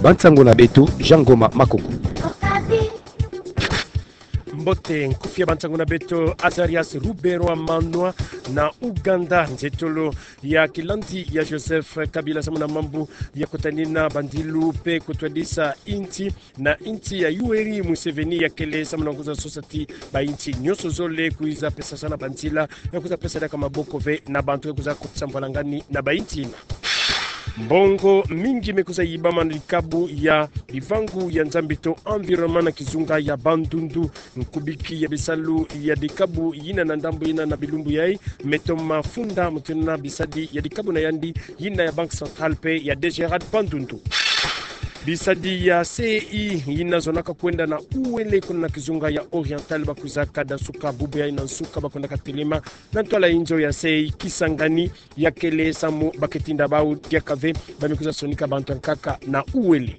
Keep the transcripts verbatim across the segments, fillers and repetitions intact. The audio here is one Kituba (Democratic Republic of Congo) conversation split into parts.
Bansango na beto, Jean Ngoma Makoko. Mbote, nkufi ya bansango na beto, Azarias Ruberwa Manwa na Uganda, nzietolo ya kilandi ya Joseph Kabila samu na mambu ya kutanina bandilu mpe kutwadisa insi na insi ya Yoweri Museveni ya kele samu na kwiza sosa ti bainsi nyonso zole kwiza pesasana banzila ya kwiza pesa diaka maboko ve na bantu ya kwiza kotisa mbwalangani na bainsi. Mbongo mingi me kwiza yibama na dikabu ya bivangu ya Nzambi to environnement na kizunga ya Bandundu. Nkubiki ya bisalu ya dikabu yina na ndambu yina na bilumbu yai me toma funda mutindu na bisadi ya dikabu na yandi yina ya Banque Centrale mpe ya DGRAD Bandundu. Bisadi ya C E I yina zonaka kwenda na uwele kuna na kizunga ya Oriental ba kwizaka dasuka bubu yai na nsuka ba kwendaka telema na ntwala inzo ya C E I Kisangani ya kele samu ba ke tinda bau diaka ve ba me kwiza sonika bantu ya nkaka na uwele.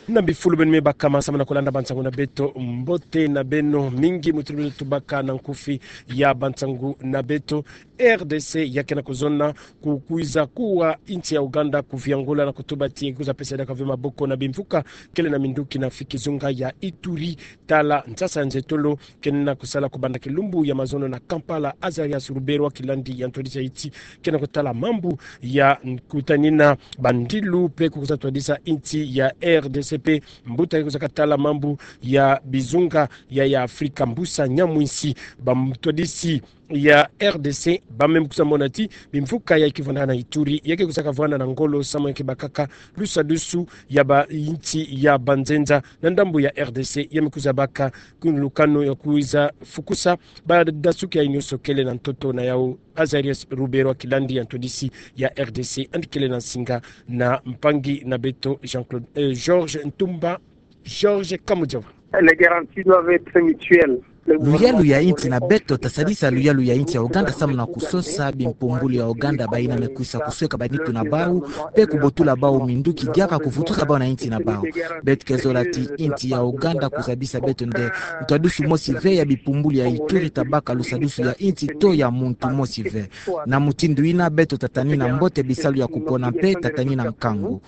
Na bifulu beno me baka ma samu na kulanda bansango na beto, mbote na beno mingi mutindu beto tubaka na nkufi ya bansango na beto. R D C ya ke na kuzona ku kwiza kuwa insi ya Uganda kuviangula na kutuba ti kwiza pesa diaka ve maboko na bimvuka kele na minduki na fi kizunga ya Ituri, tala nsasa nzietolo ke na kusala kubanda kilumbu ya mazono na Kampala. Azarias Ruberwa kilandi ya ntwadisi ya insi ke na kutala mambu ya kutanina bandilu mpe kukwiza twadisa insi ya R D C mpe mbuta ke kwiza katala mambu ya bizunga ya, ya Afrika Mbusa Nyamwisi, bamtwadisi ya R D C ba me kwiza mona ti bimvuka ya ke vwanda na Ituri ya ke kwiza kavwanda na ngolo samu ya ke bakaka lusadusu ya bainsi ya banzenza na ndambu ya R D C ya me kwiza baka kuni lukanu ya kwiza fukusa badasuki yai nyonso kele na ntoto na yau. Azarias Ruberwa kilandi ya ntwadisi ya R D C yandi kele na nsinga na mpangi na beto Jean-Claude, eh, Georges Ntumba, Georges Kamujova. Les garanties doivent être mutuelles. Luyalu ya insi na beto tasadisa luyalu ya insi ya Uganda samu na kusosa bimpumbulu ya Uganda bayina me kwiza kusweka banitu na bau mpe kubotula bau minduki diaka kuvutusa bau na insi na bau. Beto ke zola ti insi ya Uganda kuzabisa beto nde ntwadusu mosi ve ya bimpumbulu ya Ituri ta baka lusadusu ya insi to ya muntu mosi ve. Na mutindu yina beto tatanina mbote bisalu ya kupona mpe tatanina nkangu.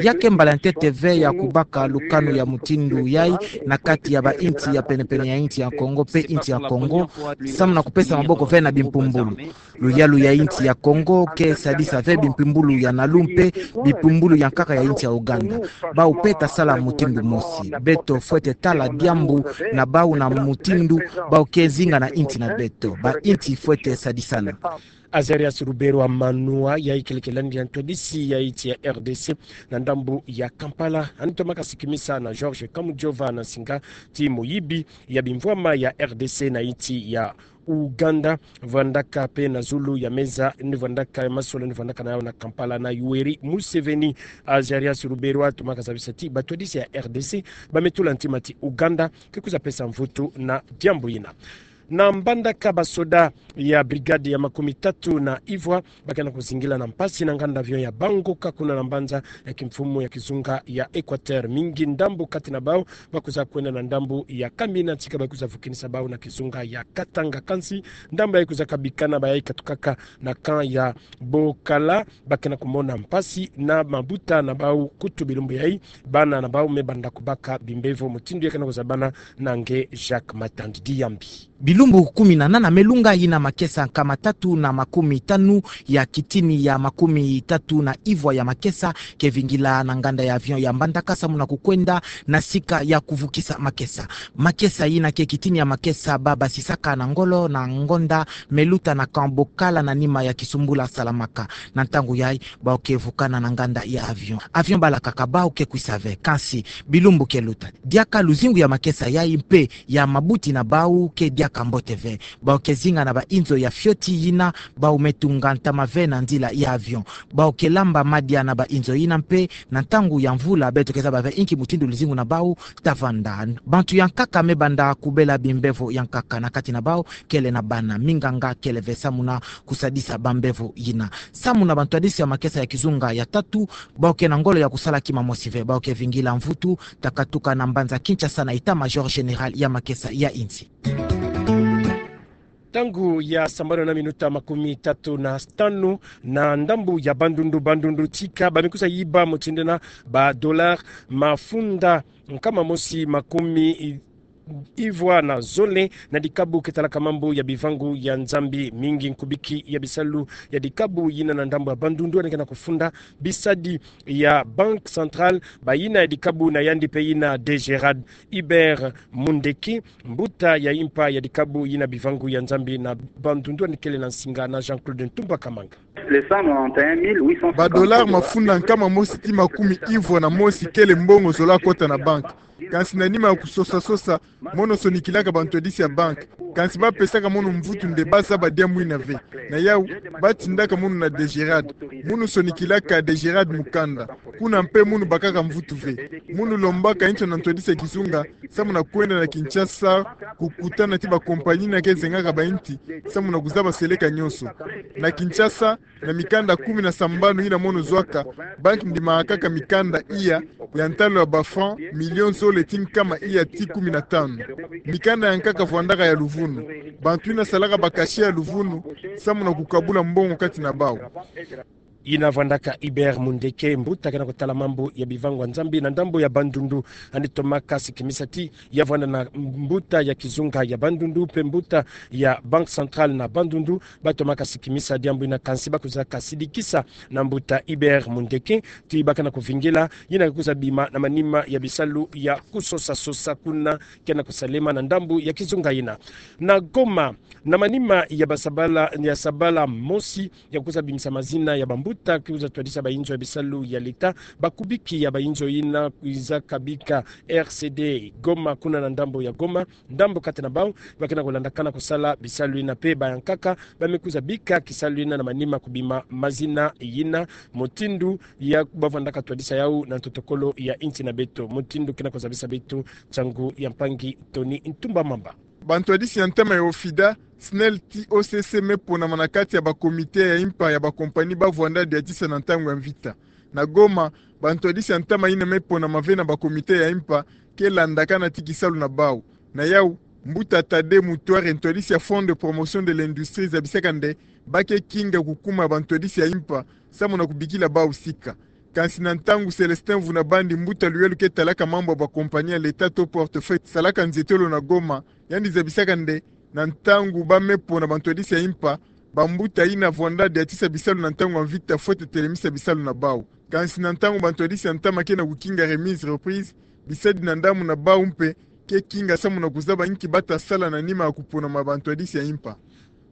Ya ke mbala ntete ve ya kubaka lukanu ya mutindu yai na kati ya bainsi ya penepene ya insi ya Kongo mpe insi ya Kongo, samu na kupesa maboko ve na bimpumbulu. Luyalu ya insi ya Kongo ke sadisa ve bimpumbulu ya Nalu mpe bimpumbulu ya nkaka ya insi ya Uganda. Bau mpe tasala mutindu mosi. Beto fwete tala diambu na bau na mutindu bau ke zinga na insi na beto. Bainsi fwete sadisana. Azarias Ruberwa Manwa, yai kele kilandi ya ntwadisi ya insi ya R D C na ndambu ya Kampala, yandi tomaka sikimisa na Georges Kamujova na nsinga ti moyibi ya bimvwama ya R D C na insi ya Uganda, vwandaka mpe na zulu ya meza, ni vwandaka ya masolo, ni vwandaka na yau na Kampala na Yoweri Museveni. Azarias Ruberwa tomaka zabisa ti batwadisi ya R D C ba me tula ntima ti Uganda ke kwiza pesa mvutu na diambu yina. Na Mbandaka, basoda ya brigade ya makumi tatu na ivwa ba ke na kuzingila na mpasi na nganda avion ya Bangoka kuna na mbanza ya kimfumu ya kizunga ya Equateur. Mingi ndambu kati na bau ba kwiza kwenda na ndambu ya Kamina, tika ba kwiza vukinisa bau na kizunga ya Katanga. Kansi ndambu yai kwiza kabikana, bayai katukaka na camp ya Bokala, ba ke na kumona mpasi na mabuta na bau. Kutu bilumbu yai, bana na bau me banda kubaka bimbevo, mutindu ya ke na kuzabana na nge Jacques Matandi Diambi. Bilumbu kumi na nana me lunga, yina makesa nkama tatu na makumi tanu ya kitini ya makumi tatu na ivwa ya makesa ke vingila na nganda ya avion ya Mbandaka samu na kukwenda na sika ya kuvukisa makesa. Makesa yina ke kitini ya makesa ba basisaka na ngolo na ngonda me luta na camp Bokala na nima ya kisumbula salamaka. Na ntangu yai, bau ke vukana na nganda ya avion. Avion balakaka bau ke kwisa ve. Kansi bilumbu ke luta, diaka luzingu ya makesa yai mpe ya mabuti na bau ke diaka mbote ve. Bau ke zinga na bainzo ya fioti yina bau me tunga ntama ve na nzila ya avion. Bau ke lamba madia na bainzo yina mpe na ntangu ya mvula beto ke zaba ve inki mutindu luzingu na bau ta vanda. Bantu ya nkaka me banda kubela bimbevo ya nkaka, na kati na bau kele na bana. Minganga kele ve samu na kusadisa bambevo yina. Samu na bantwadisi ya makesa ya kizunga ya tatu, bau ke na ngolo ya kusala kima mosi ve. Bau ke vingila mvutu ta katuka na mbanza Kinshasa na état-major général ya makesa ya insi. Ntangu ya sambanu na minuta makumi tatu na tanu na ndambu ya Bandundu, Bandundu tika, bamekwiza yiba motindo ina ba dollars mafunda nkama mosi makumi i- ivwa na zole na dikabu ke talaka mambu ya bivangu ya Nzambi. Mingi nkubiki ya bisalu ya dikabu yina na ndambu ya Bandundu yandi ke na kufunda bisadi ya Banque Centrale, bayina ya dikabu na yandi mpe yina DGRAD. Hubert Mundeke, mbuta ya impa ya dikabu yina bivangu ya Nzambi na Bandundu, yandi kele na nsinga na Jean-Claude Ntumba Kamanga. Ba dollars mafunda nkama mosi ti makumi ivwa na mosi kele mbongo zola kota na banque. Kansi na nima ya kusosa-sosa, mono sonikilaka bantwadisi ya banque. Kansi bapesaka mono mvutu nde bazaba diambu yina ve. Na yawu, batindaka mono na DGRAD. Mono sonikilaka DGRAD mukanda. Kuna mpe mono bakaka mvutu ve. Mono lombaka inzo na ntwadisi ya kizunga, samu na kwenda na Kinshasa, kukutana ti ba compagnie yina ke zengaka bainti, samu na kuzaba seleka nyonso. Na Kinshasa, na mikanda kumi na sambanu yina mono zwaka, banque ndimakaka mikanda iya ya ntalo ya ba francs million zole ti nkama iya ti kumi na tanu. Mikanda ya nkaka vwandaka ya luvunu. Bantu yina salaka ba cachet ya luvunu, samu na kukabula mbongo kati na bawu. Yina vwandaka Hubert Mundeke, mbuta ke na kutala mambu ya bivangu ya Nzambi na ndambu ya Bandundu, yandi tomaka sikimisa ti ya vwanda na mbuta ya kizunga ya Bandundu, mpe mbuta ya Banque Centrale na Bandundu, batomaka sikimisa diambu yina, kansi bakwizaka sidikisa na mbuta Hubert Mundeke ti ba ke na kuvingila yina ke kwiza bima na manima ya bisalu ya kusosa-sosa kuna ke na kusalema na ndambu ya kizunga yina. Na Goma, na manima ya ba sabala, ya sabala mosi ya kwiza bimisa mazina ya bambuta ke kwiza twadisa bainzo ya bisalu ya l'État, bakubiki ya bainzo yina kwizaka bika R C D Goma, kuna na ndambu ya Goma, ndambu kati na bawu ba ke na kulandakana kusala bisalu yina, mpe ba ya nkaka bamekwiza bika kisalu yina na manima kubima mazina yina, mutindu ya bavwandaka twadisa yawu na ntotokolo ya insi na beto, mutindu ke na kuzabisa beto nsangu ya mpangi Tony Ntumba Mamba. Bantwadisi ya ntama ya OFIDA, SNEL ti OCC me ponama na kati ya ba comité ya impa ya ba compagnie bavwanda diatisa na ntangu ya mvita. Na Goma, bantwadisi ya ntama yina me ponama ve na ba comité ya impa ke landakana ti kisalu na bawu. Na yawu, mbuta Tade Mutware, ntwadisi ya Fonds de Promotion de l'Industrie, zabisaka nde ba ke kinga kukuma bantwadisi ya impa samu na kubikila bawu sika. Kansi na ntangu Célestin Vunabandi, mbuta luyelu ke talaka mambu ya ba compagnie ya l'État to portefeuille salaka nzietolo na Goma, yandi zabisaka nde na ntangu ba me pona bantwadisi ya impa, bambuta yina vwanda diatisa bisalu na ntangu ya mvita fwete telemisa bisalu na bawu. Kansi na ntangu bantwadisi ya ntama ke na kukinga remise reprise, bisadi na ndambu na bawu mpe ke kinga samu na kuzaba inki bata sala na nima ya kuponama bantwadisi ya impa.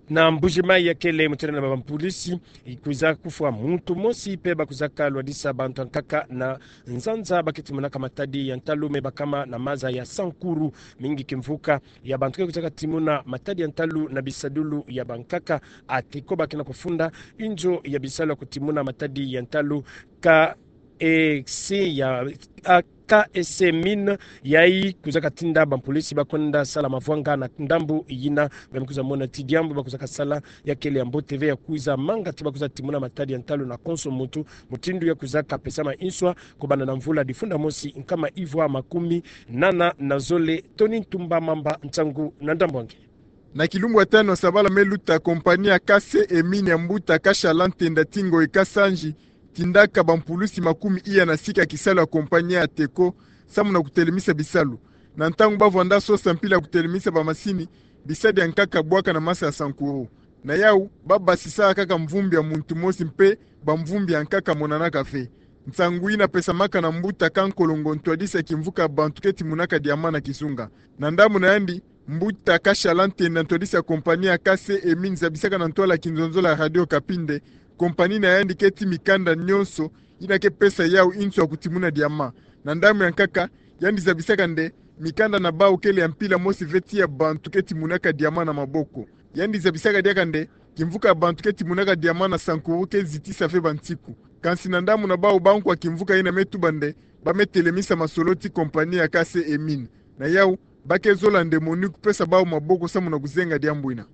Na Mbuji-Mayi, ya kele motele na bampolisi, ikwiza kufwa muntu mosi mpe bakwizaka lwadisa bantu ya nkaka na nzanza ba ke timonaka matadi ya ntalu me bakama na maza ya Sankuru. Mingi kimvuka ya bantu ke kwizaka timona matadi ya ntalu na bisadulu ya bankaka. ATECO ba ke na kufunda inzo ya bisalu ya kutimona matadi ya ntalu, K E C ya, a, K E C Mines, yayi kwizaka tinda bampolisi ba kwenda sala mavwanga na ndambu yina. Ba me kwiza mona ti diambu ba kwizaka sala ya kele ya mbote ve, ya kwiza manga ti ba kwiza timona matadi ya ntalu na konso muntu, mutindu ya kwizaka pesama inswa kobanda na mvula difunda mosi nkama ivwa makumi nana na zole. Tony Ntumba Mamba, nsangu na ndambu ya nge. Na kilumbu ya tanu ya sabala me luta, compagnie ya K C E Mines ya mbuta Kashala Ntenda ti Ngoyi Kasanji tindaka bampulusi makumi iya na sika kisalu ya compagnie ya ATECO samu na kutelemisa bisalu. Na ntangu bavwanda sosa mpila ya kutelemisa bamasini, bisadi ya nkaka bwaka na masa ya Sankuru. Na yawu, babasisaka kaka mvumbi ya muntu mosi mpe bamvumbi ya nkaka monanaka ve. Nsangu yina pesamaka na mbuta Kankolongo, ntwadisi ya kimvuka ya bantu ke timonaka diamant na kizunga. Na ndambu na yandi, mbuta Kashala Ntenda, ntwadisi ya compagnie ya K C E Mines, zabisaka na ntwala ya kinzonzolo ya Radio Okapi nde compagnie na yandi ke tia mikanda nyonso yina ke pesa yawu inswa ya kutimona diamant. Na ndambu ya nkaka, yandi zabisaka nde mikanda na bawu kele ya mpila mosi ve ti ya bantu ke timonaka diamant na maboko. Yandi zabisaka diaka nde kimvuka ya bantu ke timonaka diamant na Sankuru ke zitisa ve bansiku. Kansi na ndambu na bawu, bankwa kimvuka yina me tuba nde ba me telemisa masolo ti compagnie ya K C E Mines. Na yawu, ba ke zola nde MONUC pesa bawu maboko samu na kuzenga diambu yina.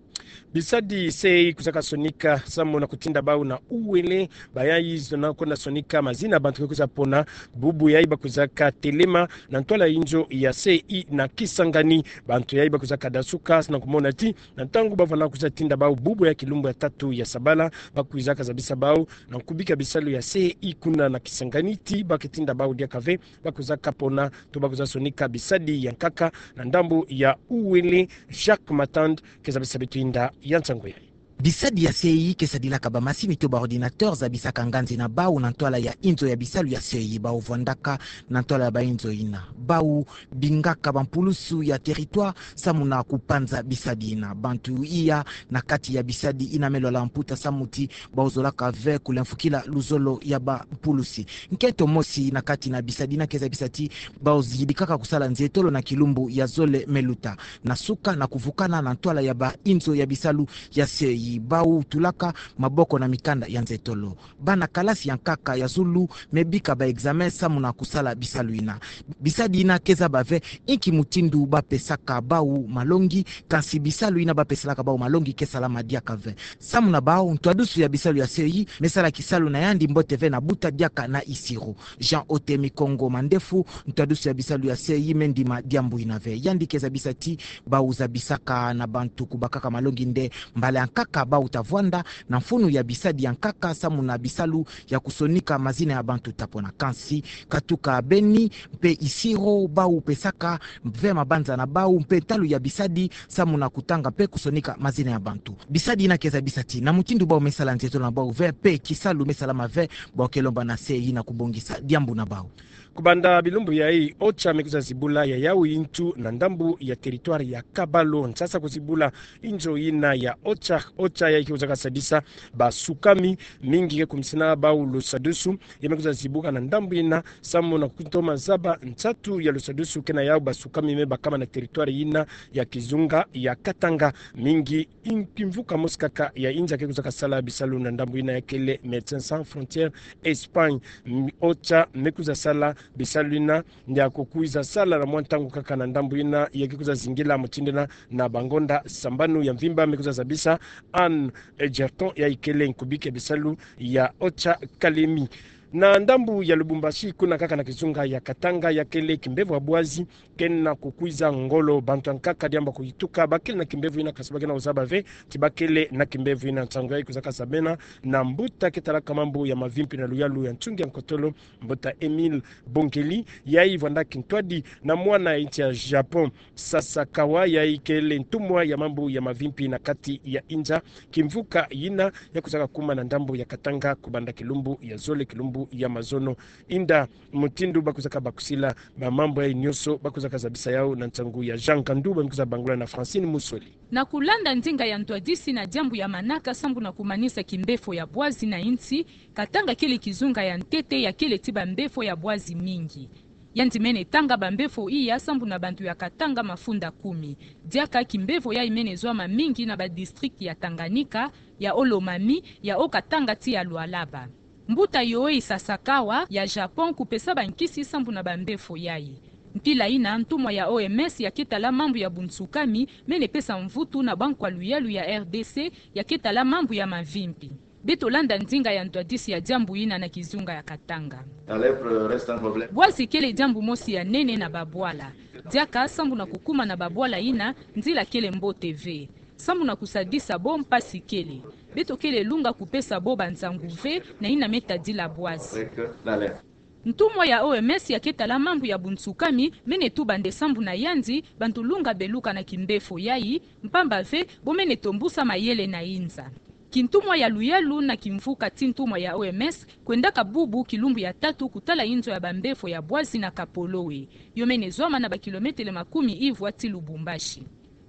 Bisadi C I kwizaka sonika samu na kutinda bau na uwele, bayayi zona kwenda sonika mazina bantu ke kwiza pona, bubu yayi ba kwizaka telema na ntwala inzo ya C I na Kisangani. Bantu yayi ba kwizaka dasuka na kumona ti na ntangu ba vwala kwiza tinda bau bubu ya kilumbu ya tatu ya sabala, ba kwizaka zabisa bau na kubika bisalu ya C I kuna na Kisangani ti ba ke tinda bau diaka ve, ba kwizaka pona to ba kwiza sonika bisadi ya nkaka na ndambu ya uwele. Jacques Matand ke zabisa beto inda ya nsangu yayi. Bisadi ya C I ke sadilaka bamasini to ba ordinateur zabisaka nganzi na bau na ntwala ya inzo ya bisalu ya C I. Bau vwandaka na ntwala ya bainzo ina. Bau bingaka bampulusu ya territoire samu na kupanza bisadi ina. Bantu iya na kati ya bisadi ina me lwala mputa samu ti bau zolaka ve kulemfukila luzolo ya bampulusi. Nkento mosi na kati na bisadi ina ke zabisa ti bau zidikaka kusala nzietolo na kilumbu ya zole me luta. Na suka na kuvukana na ntwala ya bainzo ya bisalu ya C I, bau tulaka maboko na mikanda ya nzietolo. Bana kalasi ya nkaka ya zulu me bika ba examen samu na kusala bisalu ina. Bisadi ina ke zaba ve inki mutindu ba pesaka bau malongi, kansi bisalu ina ba peselaka bau malongi ke salama diaka ve. Samu na bau, ntwadusu ya bisalu ya C I me sala kisalu na yandi mbote ve na buta diaka na Isiro. Jean Otemi Kongo Mandefu, ntwadusu ya bisalu ya C I, me ndima diambu ina ve. Yandi ke zabisa ti bau zabisaka na bantu kubakaka malongi nde mbala ya nkaka bau ta vwanda na mfunu ya bisadi ya nkaka samu na bisalu ya kusonika mazina ya bantu ta pona. Kansi katuka Beni mpe Isiro, bau pesaka ve mabanza na bau mpe ntalu ya bisadi samu na kutanga mpe kusonika mazina ya bantu. Bisadi ina ke zabisa ti na mutindu bau me sala nzietolo na bau ve mpe kisalu me salama ve, bau ke lomba na C I na kubongisa diambu na bau. Kubanda bilumbu yayi, OCHA me kwiza zibula ya yawu yintu na ndambu ya territoire ya Kabalo. Nsasa kuzibula inzo ina ya OCHA, OCHA yayi ke kwizaka sadisa basukami mingi ke kumisina bau lusadusu, ya me kwiza zibuka na ndambu ina samu na kutoma zaba nsatu ya lusadusu ke na yawu basukami me bakama na territoire ina ya kizunga ya Katanga. Mingi kimvuka mosi kaka ya inza ke kwizaka sala bisalu na ndambu ina ya kele Médecins Sans Frontières Espagne. M-, OCHA me kwiza sala bisalu ina, ndia kukwiza sala na mwa ntangu kaka na ndambu ina, ya ke kwiza zingila mutindu ina na bangonda sambanu ya mvimba. Me kwiza zabisa Anne Egerton, yayi kele nkubike bisalu ya OCHA Kalemi. Na ndambu ya Lubumbashi, kuna kaka na kizunga ya Katanga, ya kele kimbevo ya bwazi ke na kukwiza ngolo. Bantu ya nkaka diambu ya kuyituka ba kele na kimbevo ina, kansi ba ke na kuzaba ve ti ba kele na kimbevo ina. Nsangu yayi kwizaka zabena na mbuta ke talaka mambu ya mavimpi na luyalu ya nsungi ya nkotolo, mbuta Émile Bongeli, yayi vwanda kintwadi na mwana ya insi ya Japon, Sasakawa, yayi kele ntumwa ya mambu ya mavimpi na kati ya inza. Kimvuka yina ya kwizaka kuma na ndambu ya Katanga kubanda kilumbu ya zole, kilumbu ya mazono. Inda mutindu ba kwizaka bakusila ba mambu yayi nyonso, ba kwizaka zabisa yawu na nsangu ya Jean Kandu, ba me kwiza bangula na Francine Musweli. Na kulanda ndinga ya ntwadisi na diambu ya manaka sambu na kumanisa kimbefo ya bwazi na insi, Katanga kele kizunga ya ntete ya kele ti bambefo ya bwazi mingi. Yandi mene tanga bambefo iya sambu na bantu ya Katanga mafunda kumi. Diaka kimbefo yayi mene zwama mingi na ba district ya Tanganyika, ya Haut-Lomami, ya Haut-Katanga ti ya Lualaba. Mbuta Yohei Sasakawa ya Japon kupesa bankisi sambu na bambefo yayi. Mpila yina, ntumwa ya O M S ya ke tala mambu ya bunsukami mene pesa mvutu na bankwa luyalu ya R D C ya ke tala mambu ya mavimpi. Beto landa ndinga ya ntwadisi ya diambu yina na kizunga ya Katanga. La lèpre reste un problème. Bwazi kele diambu mosi ya nene na babwala. Diaka sambu na kukuma na babwala yina, nzila kele mbote ve. Sambu na kusadisa bo, mpasi kele. Beto kele lunga kupesa bo bansangu ve na yina me tadila bwazi. Avec, euh, la lèpre. Ntumwa ya O M S ya ke tala mambu ya bunsukami mene tuba nde sambu na yandi, bantu lunga beluka na kimbefo yayi, mpamba ve bo mene tombusa mayele na inza. Kintumwa ya luyalu na kimvuka ti ntumwa ya O M S kwendaka bubu kilumbu ya tatu kutala inzo ya bambefo ya bwazi na Kapolowe. Yo mene zwama na bakilometele makumi ivwa ti Lubumbashi.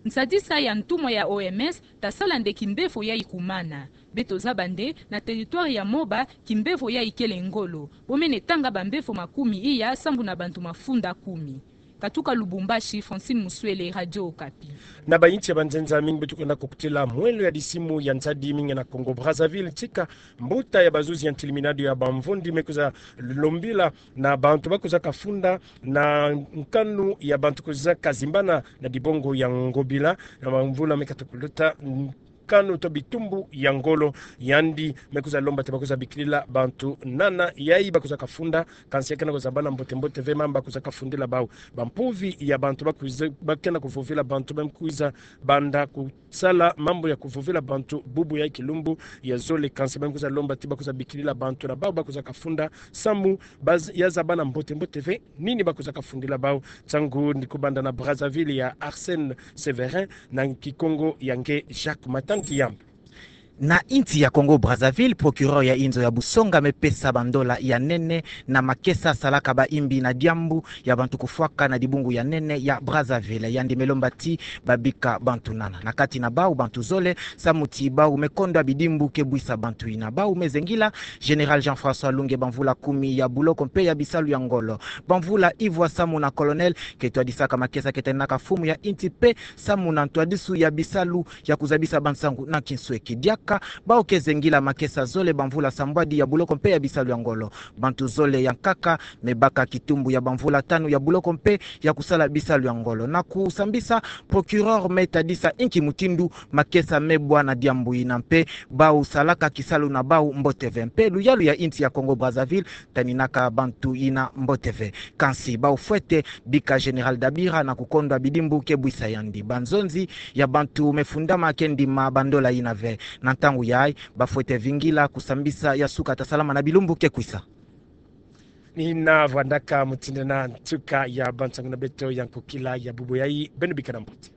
Nsadisa ya ntumwa ya O M S tasala nde kimbefo yayi kumana. Beto zaba nde na territoire ya Moba, kimbefo yayi kele ngolo. Bo mene tanga bambefo makumi iya sambu na bantu mafunda kumi. Katuka Lubumbashi, Francine Muswele, Radio Okapi. Na bayinsi ya banzenza mingi beto kwenda kukutila mwelo ya disimu ya nsadi mingi na Congo Brazzaville, tika mbuta ya bazuzi ya ntiliminado ya bamvundi me kwiza lombila na bantu ba kwizaka funda na nkanu ya bantu kwizaka zimbana na dibongo ya ngobila na bamvula me kata kuluta, n-, kanu to bitumbu ya ngolo. Yandi me kwiza lomba ti ba kwiza bikilila bantu nana yayi ba kwiza kafunda, kansi ya kena kuzabana mbote-mbote ve mambu ba kwiza kafundila bau. Bampuvi ya bantu ba kwiza, ba kena kuvovila bantu, ba me kwiza banda kusala mambu ya kuvovila bantu bubu ya kilumbu ya zole, kansi ba me kwiza lomba ti ba kwiza bikilila bantu na bau ba kwiza kafunda samu ba z-, ya zabana mbote-mbote ve nini ba kwiza kafundila bau. Ntangu ni kubanda na Brazzaville ya Arsène Séverin, na Kikongo ya nge Jacques Matandi Yamb. Na insi ya Congo Brazzaville, procureur ya inzo ya busonga me pesa bandola ya nene na makesa salaka baimbi na diambu ya bantu kufwaka na dibungu ya nene ya Brazzaville. Yandi me lomba ti ba bika bantu nana. Na kati na bau bantu zole, samu ti bau me kondwa bidimbu ke bwisa bantu ina. Bau me zengila Général Jean-François Lunge, bamvula kumi ya buloko mpe ya bisalu ya ngolo, bamvula ivwa samu na colonel, ke twadisaka makesa ke taninaka mfumu ya insi mpe samu na ntwadisu ya bisalu ya kuzabisa bansangu na kinsweki. Diaka bau ke zengila makesa zole, bamvula sambwadi ya buloko mpe ya bisalu ya ngolo, bantu zole ya nkaka me baka kitumbu ya bamvula tanu ya buloko mpe ya kusala bisalu ya ngolo. Na kusambisa, procureur me tadisa inki mutindu makesa me bwa na diambu ina mpe bau salaka kisalu na bau mbote ve. Mpe luyalu ya insi ya Congo Brazzaville taninaka bantu ina mbote ve. Kansi bau fwete bika Général Dabira na kukondwa bidimbu ke bwisa yandi. Banzonzi ya bantu me fundama ke ndima bandola ina ve. Na ntangu yayi, ba fwete vingila kusambisa ya suka ta salama na bilumbu ke kwisa. Ni na vwandaka mutindu na nsuka ya bansangu na beto ya nkokila ya bubu yayi, beno bika na mbote.